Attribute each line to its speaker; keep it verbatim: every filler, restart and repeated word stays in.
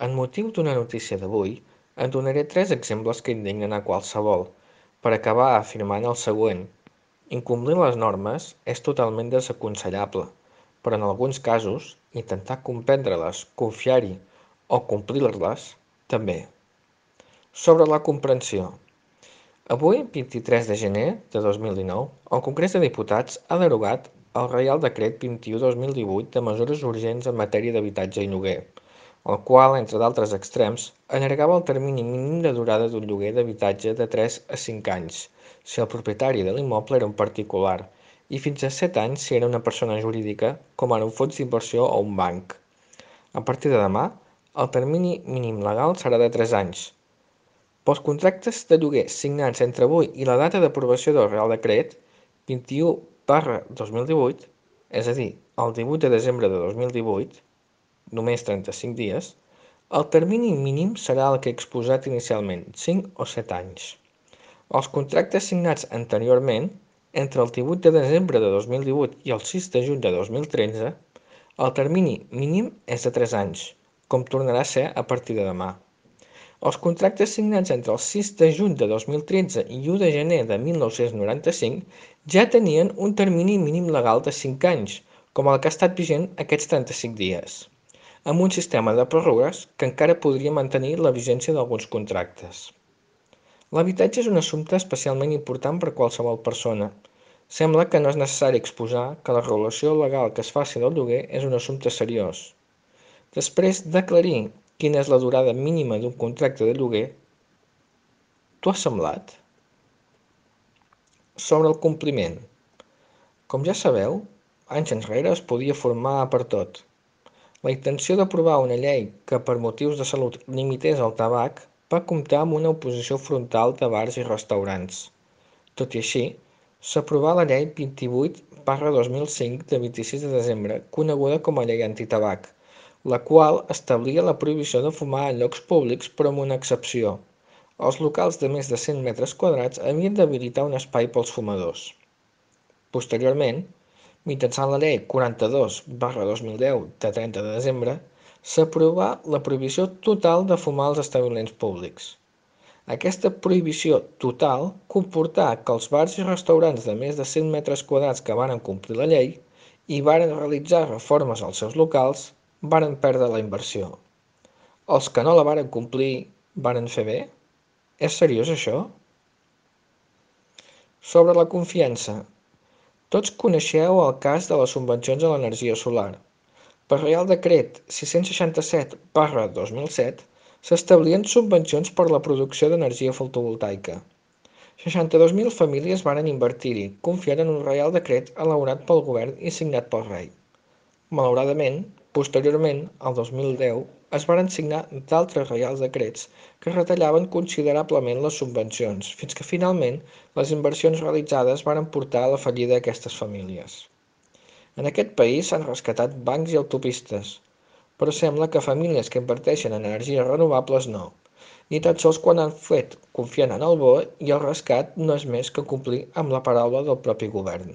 Speaker 1: En motiu d'una notícia d'avui, en donaré tres exemples que indignen a qualsevol, per acabar afirmant el següent: incomplir les normes és totalment desaconsellable, però en alguns casos, intentar comprendre-les, confiar-hi o complir-les, també. Sobre la comprensió. Avui, vint-i-tres de gener de dos mil dinou, el Congrés de Diputats ha derogat el Reial Decret vint-i-u dos mil divuit de mesures urgents en matèria d'habitatge i lloguer, el qual, entre d'altres extrems, allargava el termini mínim de durada d'un lloguer d'habitatge de tres a cinc anys, si el propietari de l'immoble era un particular, i fins a set anys si era una persona jurídica, com ara un fons d'inversió o un banc. A partir de demà, el termini mínim legal serà de tres anys. Pels contractes de lloguer signats entre avui i la data d'aprovació del Reial Decret vint-i-u barra dos mil divuit, és a dir, el divuit de desembre de dos mil divuit, només trenta-cinc dies, el termini mínim serà el que he exposat inicialment, cinc o set anys. Els contractes signats anteriorment, entre el divuit de desembre de dos mil divuit i el sis de juny de dos mil tretze, el termini mínim és de tres anys, com tornarà a ser a partir de demà. Els contractes signats entre el sis de juny de dos mil tretze i u de gener de mil nou-cents noranta-cinc ja tenien un termini mínim legal de cinc anys, com el que ha estat vigent aquests trenta-cinc dies, amb un sistema de pròrrogues que encara podria mantenir la vigència d'alguns contractes. L'habitatge és un assumpte especialment important per qualsevol persona. Sembla que no és necessari exposar que la regulació legal que es faci del lloguer és un assumpte seriós. Després d'aclarir quina és la durada mínima d'un contracte de lloguer, t'ho ha semblat? Sobre el compliment. Com ja sabeu, anys enrere es podia formar per tot. La intenció d'aprovar una llei que per motius de salut limités el tabac va comptar amb una oposició frontal de bars i restaurants. Tot i així, s'aprovà la llei vint-i-vuit barra dos mil cinc de vint-i-sis de desembre, coneguda com a llei antitabac, la qual establia la prohibició de fumar en llocs públics però amb una excepció. Els locals de més de cent metres quadrats havien d'habilitar un espai pels fumadors. Posteriorment, mitjançant la llei quaranta-dos barra dos mil deu de trenta de desembre, s'aprovà la prohibició total de fumar als establiments públics. Aquesta prohibició total comportà que els bars i restaurants de més de cent metres quadrats que varen complir la llei i varen realitzar reformes als seus locals varen perdre la inversió. Els que no la varen complir varen fer bé? És seriós això? Sobre la confiança. Tots coneixeu el cas de les subvencions a l'energia solar. Per Reial Decret sis-cents seixanta-set barra dos mil set s'establien subvencions per la producció d'energia fotovoltaica. seixanta-dos mil famílies varen invertir-hi, confiant en un Reial Decret elaborat pel govern i signat pel rei. Malauradament, posteriorment, el dos mil deu, es varen signar d'altres reials decrets que retallaven considerablement les subvencions, fins que finalment les inversions realitzades varen portar a la fallida d'aquestes famílies. En aquest país s'han rescatat bancs i autopistes, però sembla que famílies que inverteixen en energies renovables no, ni tan sols quan han fet confiant en el B O E i el rescat no és més que complir amb la paraula del propi govern.